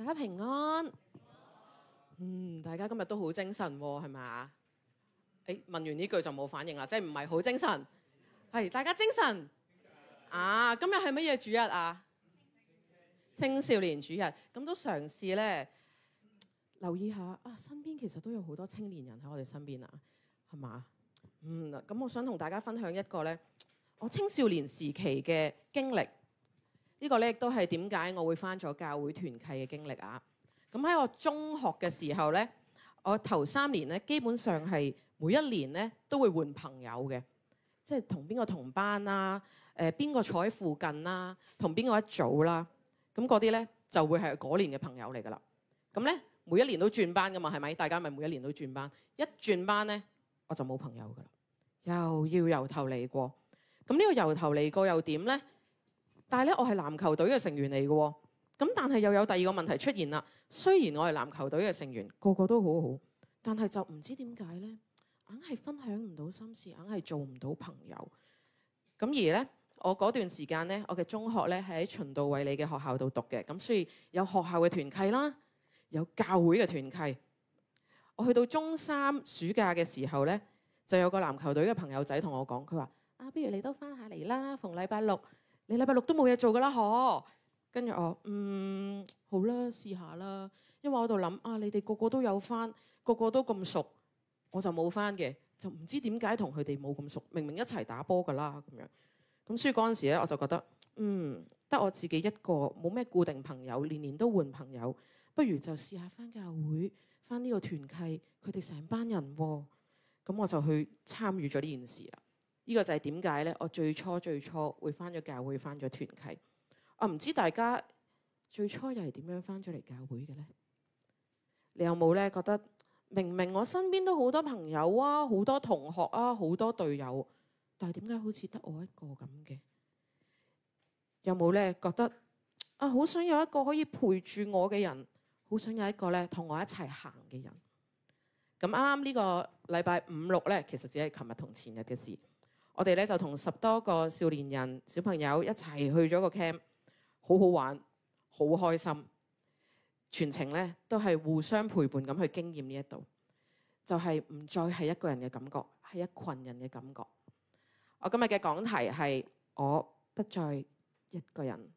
大家平安。大家今日都好精神喎，係咪？問完呢句就冇反應啦，即係唔係好精神？係大家精神啊！今日係乜嘢主日啊？青少年主日，咁都嘗試咧留意下啊，身邊其實都有好多青年人喺我哋身邊啊，係嘛？咁我想同大家分享一個咧，我青少年時期嘅經歷。呢個咧亦都係點解我會返咗教會團契嘅經歷啊！咁喺我中學嘅時候咧，我頭3年咧，基本上係每一年咧都會換朋友嘅，即係同邊個同班啦，邊個坐喺附近啦，同邊個一組啦，咁嗰啲咧就會係嗰年嘅朋友嚟噶啦。咁咧每一年都轉班噶嘛，係咪？大家咪每一年都轉班，一轉班咧我就冇朋友噶啦，又要由頭嚟過。咁呢個由頭嚟過又點咧？但係咧，我係籃球隊嘅成員嚟嘅喎，咁但係又有第二個問題出現啦。雖然我係籃球隊嘅成員，個個都好好，但係就唔知點解咧，硬係分享唔到心事，硬係做唔到朋友。咁而咧，我嗰段時間咧，我嘅中學咧係喺循道衛理嘅學校度讀嘅，咁所以有學校嘅團契啦，有教會嘅團契。我去到中3暑假嘅時候咧，就有個籃球隊嘅朋友仔同我講，佢話：不如你都翻下嚟啦，逢禮拜六。你禮拜六都冇嘢做噶啦，嗬？跟住我好啦，試下啦。因為我喺度諗你哋個個都有翻，個個都咁熟，我就冇翻嘅，就唔知點解同佢哋冇咁熟。明明一齊打波噶啦咁樣。咁所以嗰陣時咧，我就覺得得我自己一個，冇咩固定朋友，年年都換朋友，不如就試下翻教會，翻呢個團契，佢哋成班人喎。咁我就去參與咗呢件事啦。呢個就係點解咧？我最初會返咗教會，返咗團契。我唔知大家最初又係點樣返咗嚟教會嘅咧？你有冇咧覺得明明我身邊都好多朋友啊，好多同學啊，好多隊友，但係點解好似得我一個咁嘅？有冇咧覺得好想有一個可以陪住我嘅人，好想有一個咧同我一齊行嘅人？咁啱啱呢個禮拜5、6咧，其實只係琴日同前日嘅事。我哋咧就同10多個少年人小朋友一齊去咗個 camp， 好好玩，好開心。全程咧都係互相陪伴咁去經驗呢一度，就係唔再係一個人嘅感覺，係一群人嘅感覺。我今日嘅講題係我不再一個人。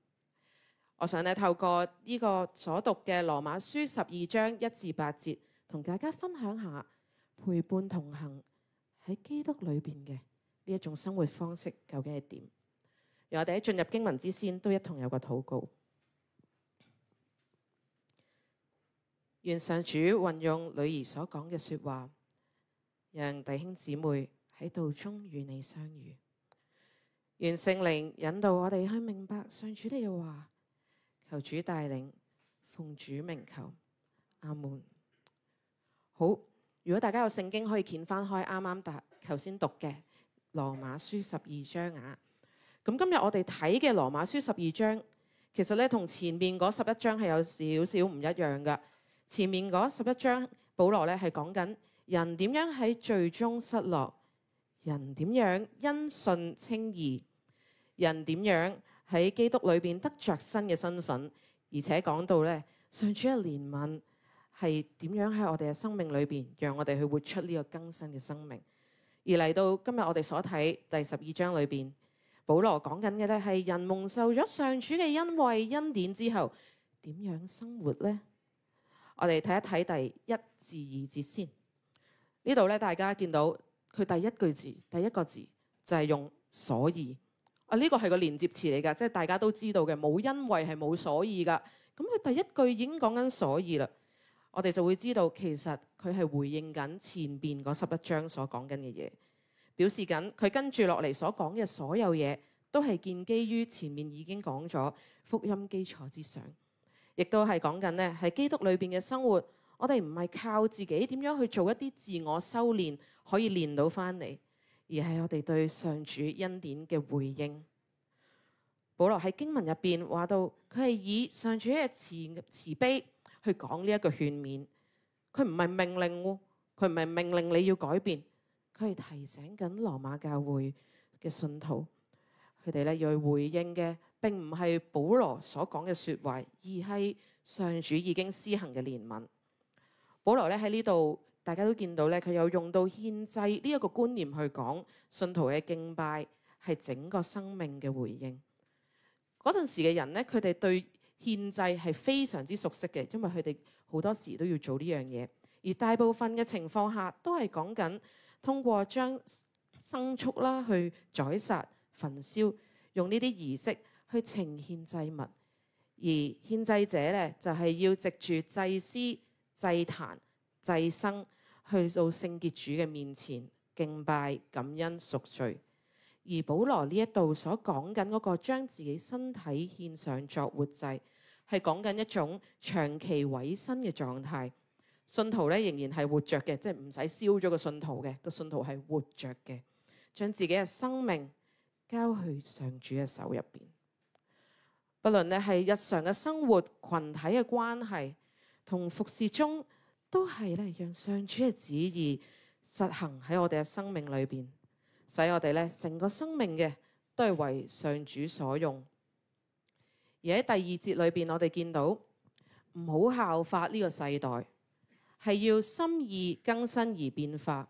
我想咧透過呢個所讀嘅羅馬書12章1至8節，同大家分享下陪伴同行喺基督裏邊嘅呢一種生活方式究竟係點？讓我哋喺進入經文之先，都一同有個禱告。願上主運用女兒所講嘅說話，讓弟兄姊妹喺道中與你相遇。願聖靈引導我哋去明白上主你嘅話。求主帶領，奉主名求，阿門。好，如果大家有聖經，可以掀翻開啱啱頭先讀嘅羅馬書12章啊。咁今日我哋睇嘅羅馬書12章，其實咧同前面嗰11章係有少少唔一樣噶。前面嗰11章，保羅咧係講緊人點樣喺罪中失落，人點樣因信稱義，人點樣喺基督裏邊得着新嘅身份，而且講到咧上主嘅憐憫係點樣喺我哋嘅生命裏邊，讓我哋去活出呢個更新嘅生命。而嚟到今日我哋所睇第12章裏邊，保羅講緊嘅咧係人蒙受咗上主嘅恩惠恩典之後，點樣生活呢？我哋睇一睇第1至2節先。呢度咧大家見到佢第一個字就係用所以。呢個係個連接詞嚟㗎，即係大家都知道嘅，冇因為係冇所以㗎。咁佢第一句已經講緊所以啦，我哋就會知道其實佢係回應緊前邊嗰11章所講緊嘅嘢，表示緊佢跟住落嚟所講嘅所有嘢都係建基於前面已經講咗福音基礎之上，亦都係講緊呢喺基督裏邊嘅生活，我哋唔係靠自己點樣去做一啲自我修煉可以練到翻嚟，而係我哋對上主恩典嘅回應。保羅喺經文入邊話到，佢係以上主嘅慈悲去講呢一個勸勉。佢唔係命令，佢唔係命令你要改變，佢係提醒緊羅馬教會嘅信徒，佢哋咧要去回應嘅，並唔係保羅所講嘅説話，而係上主已經施行嘅憐憫。保羅咧喺呢度，大家都見到咧，佢有用到獻祭呢一個觀念去講信徒嘅敬拜係整個生命嘅回應。嗰陣時嘅人咧，佢哋對獻祭係非常之熟悉嘅，因為佢哋好多時都要做呢樣嘢。而大部分嘅情況下，都係講緊通過將牲畜啦去宰殺、焚燒，用呢啲儀式去呈獻祭物。而獻祭者咧，就係要藉住祭司、祭壇、祭牲去到聖潔主嘅面前敬拜、感恩、贖罪。而保羅呢一度所講緊嗰個將自己身體獻上作活祭，係講緊一種長期委身嘅狀態。信徒咧仍然係活着嘅，即係唔使燒咗個信徒嘅，個信徒係活着嘅，將自己嘅生命交去上主嘅手入邊。不論咧係日常嘅生活、群體嘅關係同服侍中，都係咧讓上主嘅旨意實行喺我哋嘅生命裏邊，使我哋咧成個生命嘅都係為上主所用。而喺第二節裏邊，我哋見到唔好效法呢個世代，係要心意更新而變化。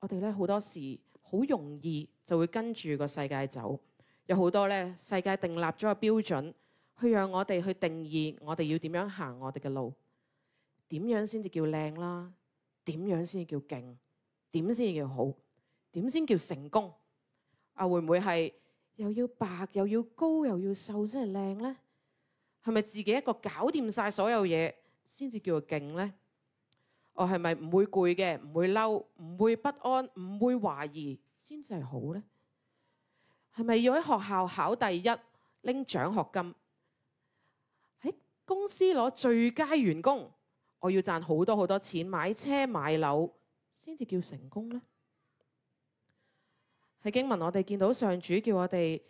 我哋咧好多時好容易就會跟住個世界走，有好多咧世界訂立咗個標準，去讓我哋去定義我哋要點樣行我哋嘅路，點樣先至叫靚啦，點樣先至叫勁，點先至叫好，點先叫成功？啊，會唔會係又要白又要高又要瘦先係靚呢？係咪自己一個搞掂晒所有嘢先至叫做勁呢？我係咪唔會攰嘅，唔會嬲，唔會不安，唔會懷疑先至係好呢？係咪要喺學校考第一拎獎學金，喺公司攞最佳員工，我要賺好多好多錢買車買樓先至叫成功呢？喺經文我哋見到上主叫我哋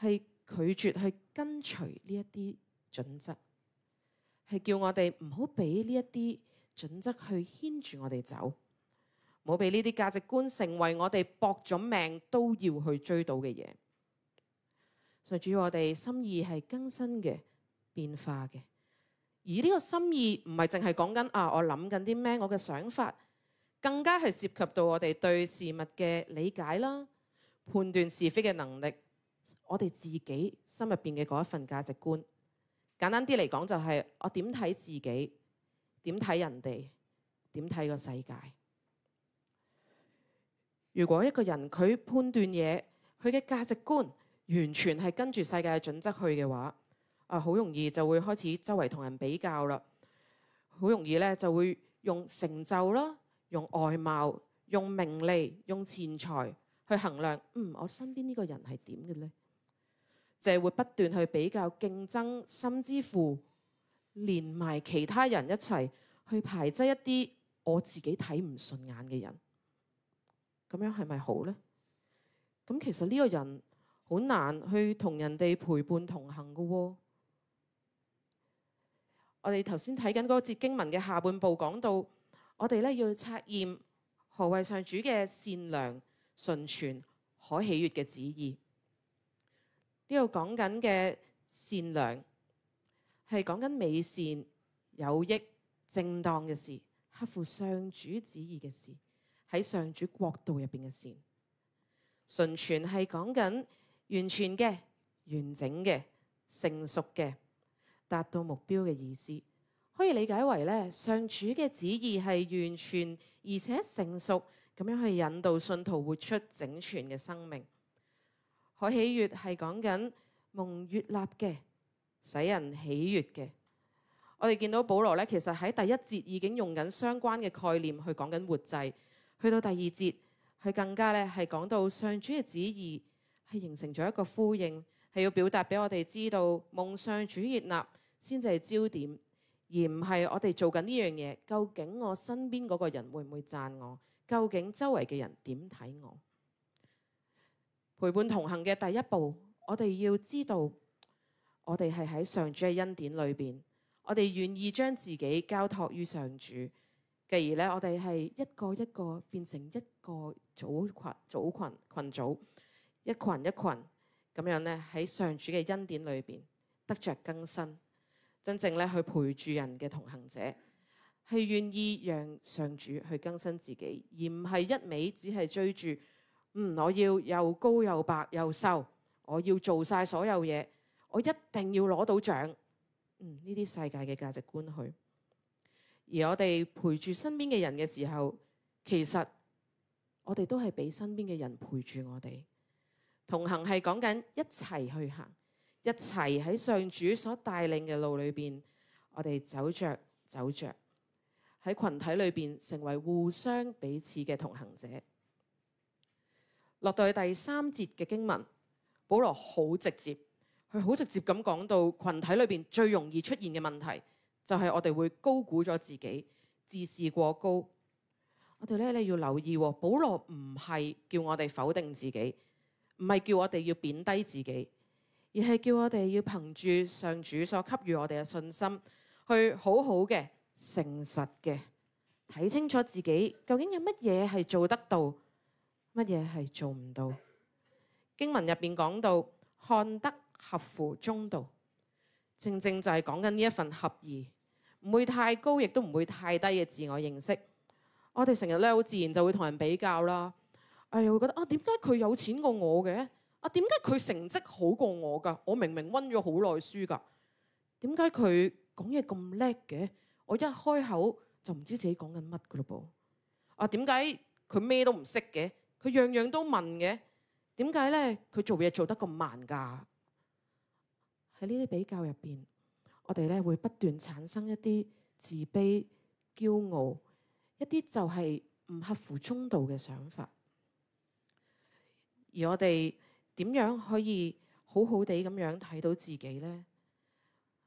係拒絕去跟隨呢一啲準則，係叫我哋唔好俾呢一啲準則去牽住我哋走，唔好俾呢啲價值觀成為我哋搏咗命都要去追到嘅嘢。上主要我哋心意係更新嘅、變化嘅，而呢個心意唔係淨係講緊我諗緊啲咩，我嘅想法，更加係涉及到我哋對事物嘅理解啦、判斷是非嘅能力，我哋自己心入邊嘅嗰一份價值觀。簡單啲嚟講，就係我點睇自己，點睇人哋，點睇個世界。如果一個人佢判斷嘢，佢嘅價值觀完全係跟住世界嘅準則去嘅話，好容易就會開始周圍同人比較啦。好容易咧就會用成就啦、用外貌、用名利、用錢財去衡量。我身邊呢個人係點嘅呢？就係會不斷去比較、競爭，甚至乎連埋其他人一齊去排擠一啲我自己睇唔順眼嘅人。咁樣係咪好呢？咁其實呢個人好難去同人哋陪伴同行㗎喎。我哋頭先睇緊嗰節經文嘅下半部講到，我哋咧要測驗何謂上主嘅善良、純全、可喜悅嘅旨意。呢度講緊嘅善良係講緊美善、有益、正當嘅事，合乎上主旨意嘅事，喺上主國度入邊嘅善。純全係講緊完全嘅、完整嘅、成熟嘅，達到目標嘅意思。可以理解為咧，上主嘅旨意係完全而且成熟咁樣去引導信徒活出整全嘅生命。可喜悅係講緊蒙悅納嘅，使人喜悅嘅。我哋見到保羅咧，其實喺第一節已經用緊相關嘅概念去講緊活祭，去到第二節，佢更加咧係講到上主嘅旨意係形成咗一個呼應，係要表達俾我哋知道蒙上主悅納先至係焦點，而唔係我哋做緊呢樣嘢，究竟我身邊嗰個人會唔會讚我？究竟周圍嘅人點睇我？陪伴同行嘅第一步，我哋要知道，我哋係喺上主嘅恩典裏邊，我哋願意將自己交託於上主，繼而咧，我哋係一個一個變成一個組群，一群一群，咁樣咧喺上主嘅恩典裏邊得着更新，真正咧去陪住人嘅同行者，係願意讓上主去更新自己，而唔係一味只係追住我要又高又白又瘦，我要做晒所有嘢，我一定要攞到獎。呢啲世界嘅價值觀去。而我哋陪住身邊嘅人嘅時候，其實我哋都係俾身邊嘅人陪住我哋。同行係講緊一齊去行，一齊喺上主所帶領嘅路裏邊，我哋走着喺群體裏邊成為互相彼此嘅同行者。落到去第3節嘅經文，保羅好直接，佢好直接咁講到群體裏邊最容易出現嘅問題，就係我哋會高估咗自己，自視過高。我哋咧，你要留意，保羅唔係叫我哋否定自己，唔係叫我哋要貶低自己，而係叫我哋要憑住上主所給予我哋嘅信心，去好好嘅、誠實嘅睇清楚自己究竟有乜嘢係做得到，乜嘢係做唔到。經文入邊講到看得合乎中道，正正就係講緊呢一份合宜，唔會太高，亦都唔會太低嘅自我認識。我哋成日咧好自然就會同人比較啦，又會覺得點解佢有錢過我嘅？點解佢成績好過我㗎？我明明溫咗好耐書㗎，點解佢講嘢咁叻嘅？我一開口就唔知自己講緊乜㗎咯噃。點解佢咩都唔識嘅？佢樣樣都問嘅？點解咧佢做嘢做得咁慢㗎？喺呢啲比較入邊，我哋咧會不斷產生一啲自卑、驕傲，一啲就係唔合乎中道嘅想法。而我哋點樣可以好好地咁樣睇到自己呢？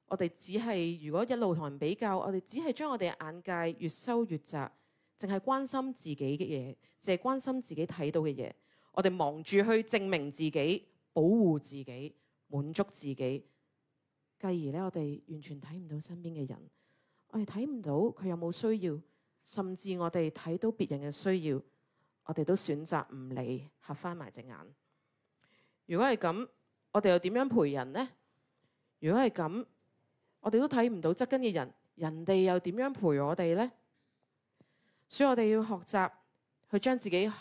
我哋只係如果一路同人比較，我哋只係將我哋嘅眼界越收越窄，淨係關心自己嘅嘢，淨係關心自己睇到嘅嘢。我哋忙住去證明自己、保護自己、滿足自己，繼而咧我哋完全睇唔到身邊嘅人，我哋睇唔到佢有冇需要，甚至我哋睇到別人嘅需要，我哋都選擇唔理，合翻埋隻眼。如果係咁，我哋又點樣陪人呢？如果係咁，我哋都睇唔到側跟嘅人，人哋又點樣陪我哋呢？所以我哋要學習去將自己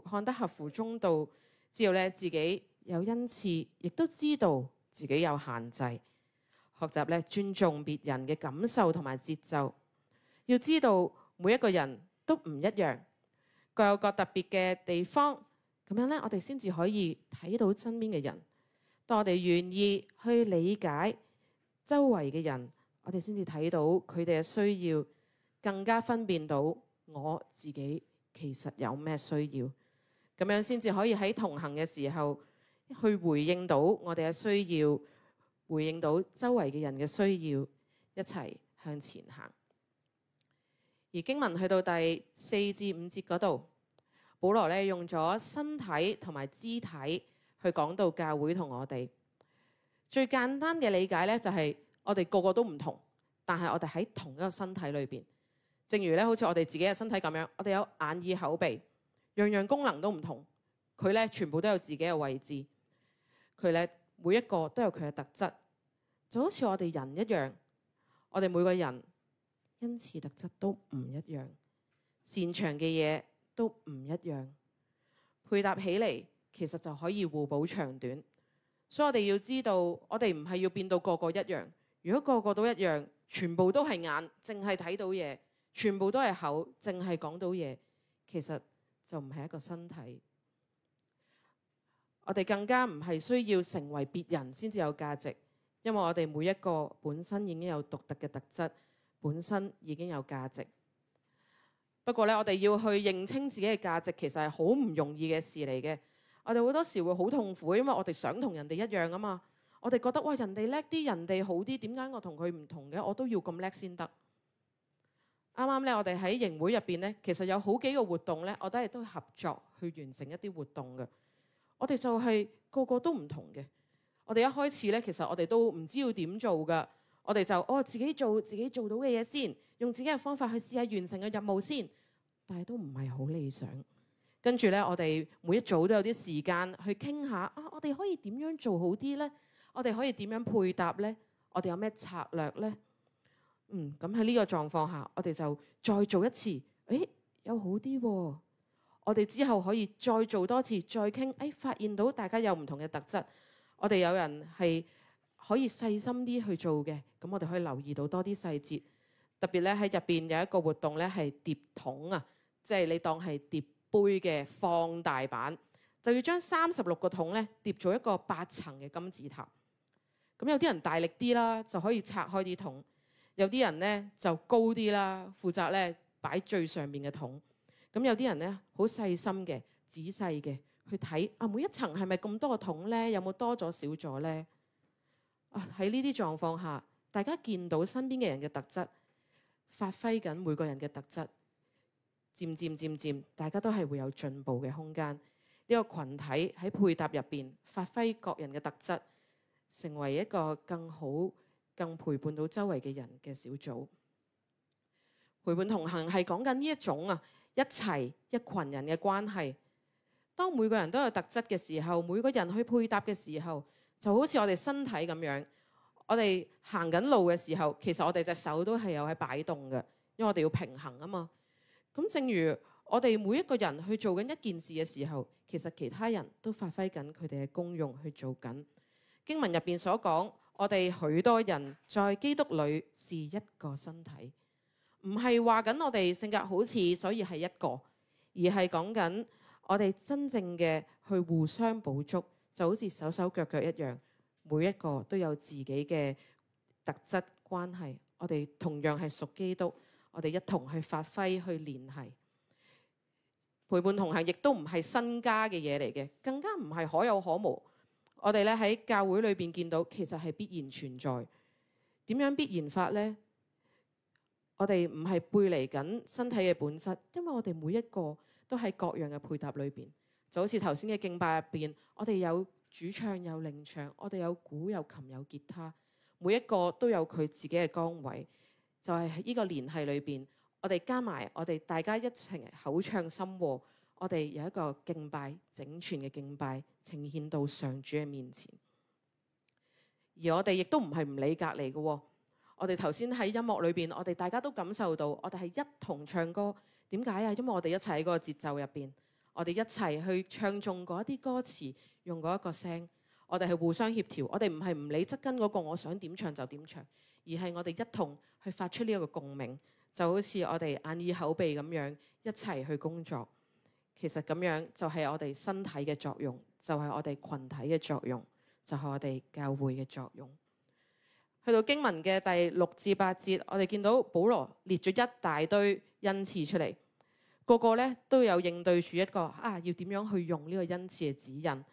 看得合乎中道，知道咧自己有恩賜，亦都知道自己有限制。學習咧尊重別人嘅感受同埋節奏，要知道每一個人都唔一樣，各有各特別嘅地方，咁樣咧我哋先至可以睇到身邊嘅人。當我哋願意去理解周圍嘅人，我哋先至睇到佢哋嘅需要，更加分辨到我自己其實有咩需要，咁樣先至可以喺同行嘅時候去回應到我哋嘅需要，回應到周圍嘅人嘅需要，一齊向前行。而經文去到第4至5節嗰度，保羅咧用咗身體同埋肢體去講到教會同我哋。最簡單嘅理解咧就係我哋個個都唔同，但係我哋喺同一個身體裏邊。正如咧好似我哋自己嘅身體咁樣，我哋有眼耳口鼻，樣樣功能都唔同，佢咧全部都有自己嘅位置，佢咧每一個都有佢嘅特質，就好似我哋人一樣，我哋每個人恩賜特質都唔一樣，擅長嘅嘢都唔一樣，配搭起嚟其實就可以互補長短。所以我哋要知道，我哋唔係要變到個個一樣。如果個個都一樣，全部都係眼，淨係睇到嘢，全部都係口，淨係講到嘢，其實就唔係一個身體。我哋更加唔係需要成為別人先至有價值，因為我哋每一個本身已經有獨特嘅特質，本身已經有價值。不過咧，我哋要去認清自己嘅價值，其實係好唔容易嘅事嚟嘅。我哋好多時會好痛苦，因為我哋想同人哋一樣啊嘛。我哋覺得哇，人哋叻啲，人哋好啲，點解我同佢唔同嘅？我都要咁叻先得。啱啱咧，我哋喺營會入邊咧，其實有好幾個活動咧，我哋都合作去完成一啲活動嘅。我哋就係個個都唔同嘅。我哋一開始咧，其實我哋都唔知要點做噶。我哋就自己做自己做到嘅嘢先，用自己嘅方法去試下完成個任務先，但係都唔係好理想。跟住咧，我哋每一組都有啲時間去傾下我我哋可以點樣做好啲呢？我哋可以點樣配搭呢？我哋有咩策略呢？咁喺呢個狀況下，我哋就再做一次，有好啲喎。我哋之後可以再做多次，再傾，發現到大家有唔同嘅特質。我哋有人係可以細心啲去做嘅，咁我哋可以留意到多啲細節。特別咧喺入邊有一個活動咧係疊桶啊，即係你當係疊杯嘅放大版，就要將36個桶咧疊做一個8層嘅金字塔。咁有啲人大力啲啦，就可以拆開啲桶；有啲人咧就高啲啦，負責咧擺最上面嘅桶。咁有啲人咧好細心嘅、仔細嘅去睇每一層係咪咁多個桶咧？有冇多咗少咗咧？喺呢啲狀況下，大家見到身邊嘅人嘅特質，發揮緊每個人嘅特質，漸漸，大家都係會有進步嘅空間。呢個群體喺配搭入邊發揮各人嘅特質，成為一個更好、更陪伴到周圍嘅人嘅小組。陪伴同行係講緊呢一種一齊一群人嘅關係。當每個人都有特質嘅時候，每個人去配搭嘅時候，就好似我哋身體咁樣。我哋行緊路嘅時候，其實我哋隻手都係有喺擺動嘅，因為我哋要平衡啊嘛。咁正如我哋每一個人去做緊一件事嘅時候，其實其他人都發揮緊佢哋嘅功用去做緊。經文入邊所講，我哋許多人在基督裏是一個身體，唔係話緊我哋性格好似，所以係一個，而係講緊我哋真正嘅去互相補足，就好似手手腳腳一樣，每一個都有自己嘅特質關係。我哋同樣係屬基督，我哋一同去發揮去聯繫。陪伴同行亦都唔係新加嘅嘢嚟嘅，更加唔係可有可無。我哋咧喺教會裏邊見到，其實係必然存在。點樣必然法呢？我哋唔係背離緊身體嘅本質，因為我哋每一個都喺各樣嘅配搭裏邊，就好似頭先嘅敬拜入邊，我哋有主唱有領唱，我哋有鼓有琴有吉他，每一個都有佢自己嘅崗位。就係喺呢個聯繫裏邊，我哋加埋我哋大家一齊口唱心和，我哋有一個敬拜，整全嘅敬拜呈獻到上主嘅面前。而我哋亦都唔係唔理隔離嘅。我哋頭先喺音樂裏邊，我哋大家都感受到，我哋係一同唱歌。點解啊？因為我哋一齊喺嗰個節奏入邊，我哋一齊去唱中嗰一啲歌詞，用嗰一個聲，我哋係互相協調。我哋唔係唔理側跟嗰個，我想點唱就點唱，而係我哋一同去發出呢一個共鳴，就好似我哋眼耳口鼻咁樣一齊去工作。其實咁樣就係我哋身體嘅作用，就係我哋群體嘅作用，就係我哋教會嘅作用。去到經文嘅第6至8節，我哋見到保羅列咗一大堆恩賜出嚟，個個咧都有應對住一個要點樣去用呢個恩賜嘅指引。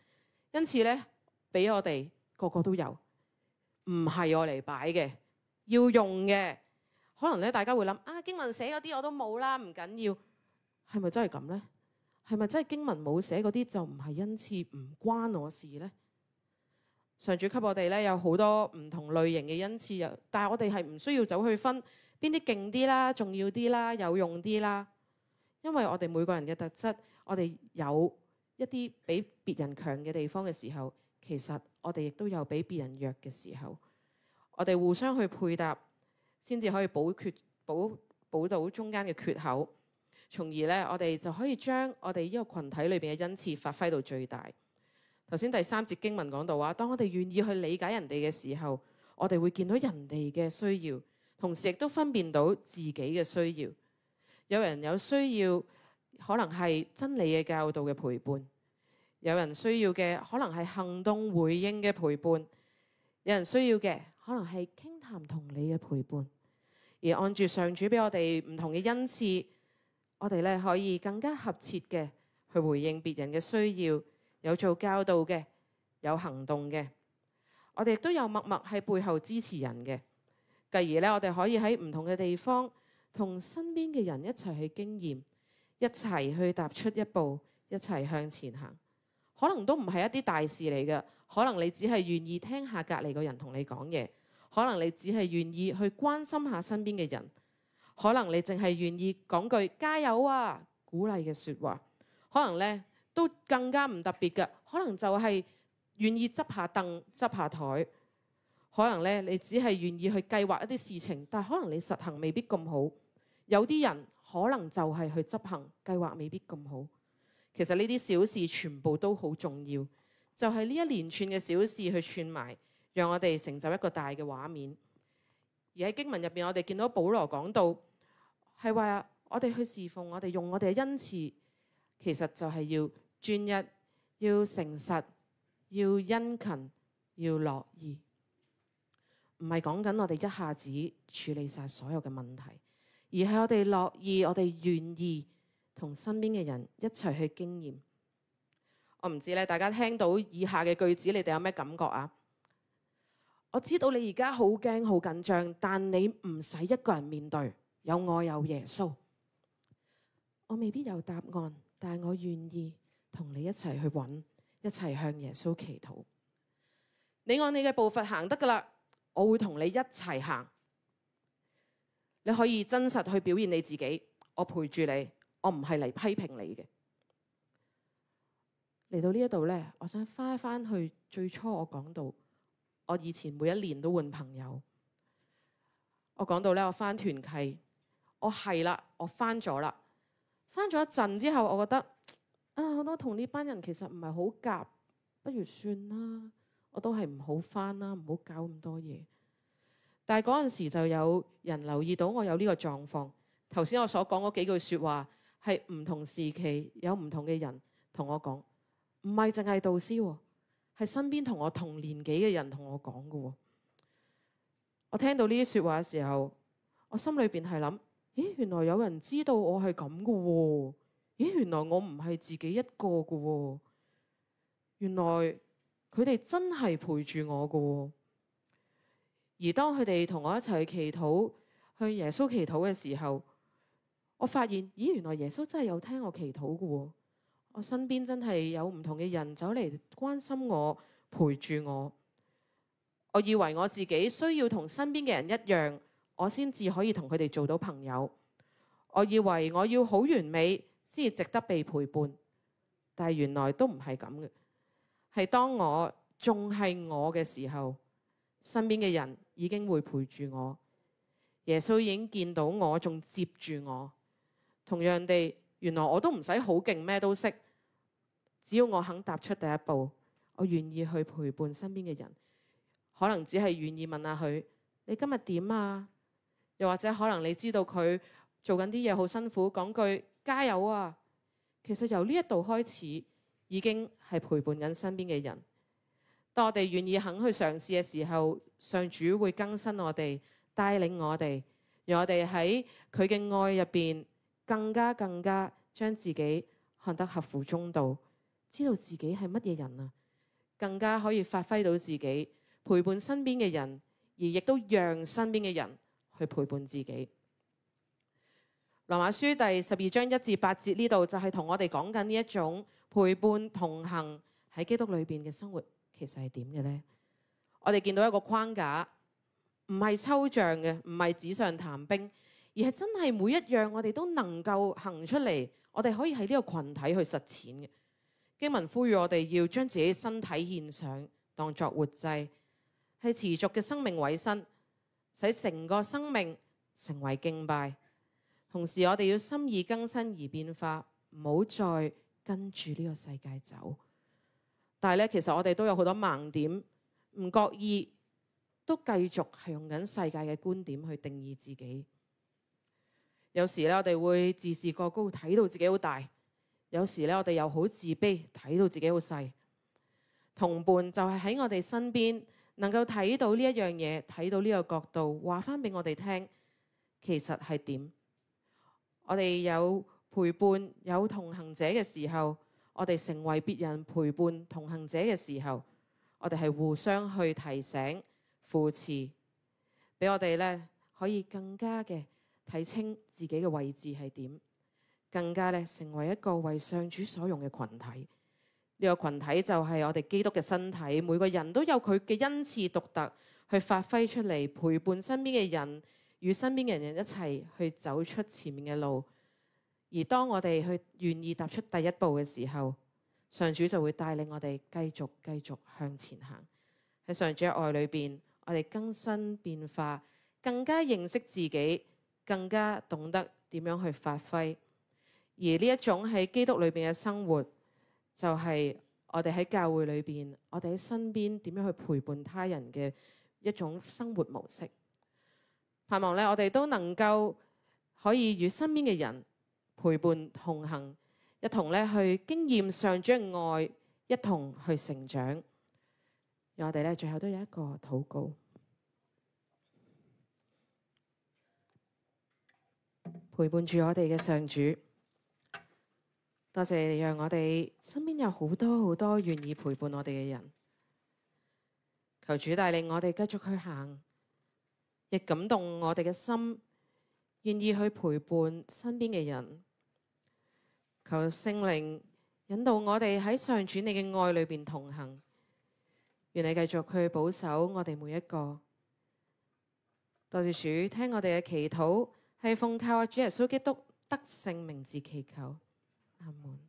因此咧，俾我哋個個都有，唔係我嚟擺嘅，要用嘅。可能咧大家會諗經文寫嗰啲我都冇啦，唔緊要。係咪真係咁呢？係咪真係經文冇寫嗰啲就唔係恩賜，唔關我事呢？上主給我哋咧有好多唔同類型嘅恩賜，但係我哋係唔需要走去分邊啲勁啲啦、重要啲啦、有用啲啦。因為我哋每個人嘅特質，我哋有一啲比別人強嘅地方嘅時候，其實我哋亦都有比別人弱嘅時候。我哋互相去配搭，先至可以補到中間嘅缺口，從而咧我哋就可以將我哋呢個群體裏邊嘅恩賜發揮到最大。頭先第3節經文講到話，當我哋願意去理解人哋嘅時候，我哋會見到人哋嘅需要，同時亦都分辨到自己嘅需要。有人有需要，可能係真理嘅教導嘅陪伴；有人需要嘅可能係行動回應嘅陪伴；有人需要嘅可能係傾談同理嘅陪伴。而按住上主俾我哋唔同嘅恩賜，我哋咧可以更加合切嘅去回應別人嘅需要。有做教導嘅，有行動嘅，我哋亦都有默默喺背後支持人嘅。繼而咧，我哋可以喺唔同嘅地方，同身邊嘅人一齊去經驗，一齊去踏出一步，一齊向前行。可能都唔係一啲大事嚟嘅，可能你只係願意聽下隔離個人同你講嘢，可能你只係願意去關心下身邊嘅人，可能你淨係願意講句加油啊，鼓勵嘅說話，可能咧都更加唔特別嘅，可能就係願意執下凳、執下台。可能咧，你只係願意去計劃一啲事情，但係可能你實行未必咁好。有啲人可能就係去執行計劃未必咁好。其實呢啲小事全部都好重要，就係呢一連串嘅小事去串埋，讓我哋成就一個大嘅畫面。而喺經文入邊，我哋見到保羅講到係話我哋去侍奉，我哋用我哋嘅恩賜，其實就係要專一、要誠實、要殷勤、要樂意。唔係講緊我哋一下子處理晒所有嘅問題，而係我哋樂意，我哋願意同身邊嘅人一齊去經驗。我唔知咧，大家聽到以下嘅句子，你哋有咩感覺啊？我知道你而家好驚、好緊張，但你唔使一個人面對，有我有耶穌。我未必有答案，但係我願意同你一齊去揾，一齊向耶穌祈禱。你按你嘅步伐行得噶啦。我會同你一齊行，你可以真實去表現你自己，我陪住你，我唔係嚟批評你嘅。嚟到呢一度呢，我想翻去最初我講到，我以前每一年都換朋友。我講到呢，我翻團契，我係啦，我翻咗啦，翻咗一陣之後，我覺得我都同呢班人其實唔係好夾，不如算啦。我都係唔好返啦，唔好搞咁多嘢。但係嗰陣時就有人留意到我有呢個狀況。頭先我所講嗰幾句説話係唔同時期有唔同嘅人同我講，唔係淨係導師，係身邊同我同年紀嘅人同我講嘅。我聽到呢啲説話嘅時候，我心裏邊係諗：咦，原來有人知道我係咁嘅喎！咦，原來我唔係自己一個嘅喎！原來佢哋真係陪住我嘅，而當佢哋同我一齊祈禱，向耶穌祈禱嘅時候，我發現，咦，原來耶穌真係有聽我祈禱嘅。我身邊真係有唔同嘅人走嚟關心我，陪住我。我以為我自己需要同身邊嘅人一樣，我先至可以同佢哋做到朋友。我以為我要好完美先至值得被陪伴，但係原來都唔係咁嘅。係當我仲係我嘅時候，身邊嘅人已經會陪住我。耶穌已經見到我，仲接住我。同樣地，原來我都唔使好勁，咩都識，只要我肯踏出第一步，我願意去陪伴身邊嘅人。可能只係願意問下佢：你今日點啊？又或者可能你知道佢做緊啲嘢好辛苦，講句加油啊！其實由呢一度開始，已經係陪伴緊身邊嘅人。當我哋願意肯去嘗試嘅時候，上主會更新我哋，帶領我哋，讓我哋喺佢嘅愛入邊更加將自己看得合乎中道，知道自己係乜嘢人啊，更加可以發揮到自己，陪伴身邊嘅人，而亦都讓身邊嘅人去陪伴自己。羅馬書第12章1至8節呢度就係同我哋講緊呢一種陪伴同行喺基督裏邊嘅生活，其實係點嘅呢？我哋見到一個框架，唔係抽象嘅，唔係紙上談兵，而係真係每一樣我哋都能夠行出嚟，我哋可以喺呢個群體去實踐嘅。經文呼籲我哋要將自己身體獻上，當作活祭，係持續嘅生命委身，使成個生命成為敬拜。同時我哋要心意更新而變化，唔好再跟住呢個世界走。但係咧，其實我哋都有好多盲點，唔覺意都繼續係用緊世界嘅觀點去定義自己。有時咧，我哋會自視過高，睇到自己好大；有時咧，我哋又好自卑，睇到自己好細。同伴就係喺我哋身邊，能夠睇到呢一樣嘢，睇到呢個角度，話翻俾我哋聽，其實係點？我哋有陪伴、有同行者嘅時候，我哋成為別人陪伴同行者嘅時候，我哋係互相去提醒、扶持，俾我哋咧可以更加嘅睇清自己嘅位置係點，更加咧成為一個為上主所用嘅群體。呢個群體就係我哋基督嘅身體，每個人都有佢嘅恩賜獨特去發揮出嚟，陪伴身邊嘅人，與身邊嘅人一齊去走出前面嘅路。而當我哋去願意踏出第一步嘅時候，上主就會帶領我哋繼續向前行。喺上主嘅愛裏邊，我哋更新變化，更加認識自己，更加懂得點樣去發揮。而呢一種喺基督裏邊嘅生活，就係我哋喺教會裏邊，我哋喺身邊點樣去陪伴他人嘅一種生活模式。盼望咧，我哋都能夠可以與身邊嘅人陪伴同行，一同咧去經驗上主嘅愛，一同去成長。讓我哋咧最後都有一個禱告，陪伴住我哋嘅上主。多謝你讓我哋身邊有好多願意陪伴我哋嘅人。求主帶領我哋繼續去行，亦感動我哋嘅心，願意去陪伴身邊嘅人。求聖靈引導我哋喺上主你嘅愛裏邊同行。願你繼續去保守我哋每一個。多謝主聽我哋嘅祈禱，係奉靠主耶穌基督得勝名字祈求。阿門。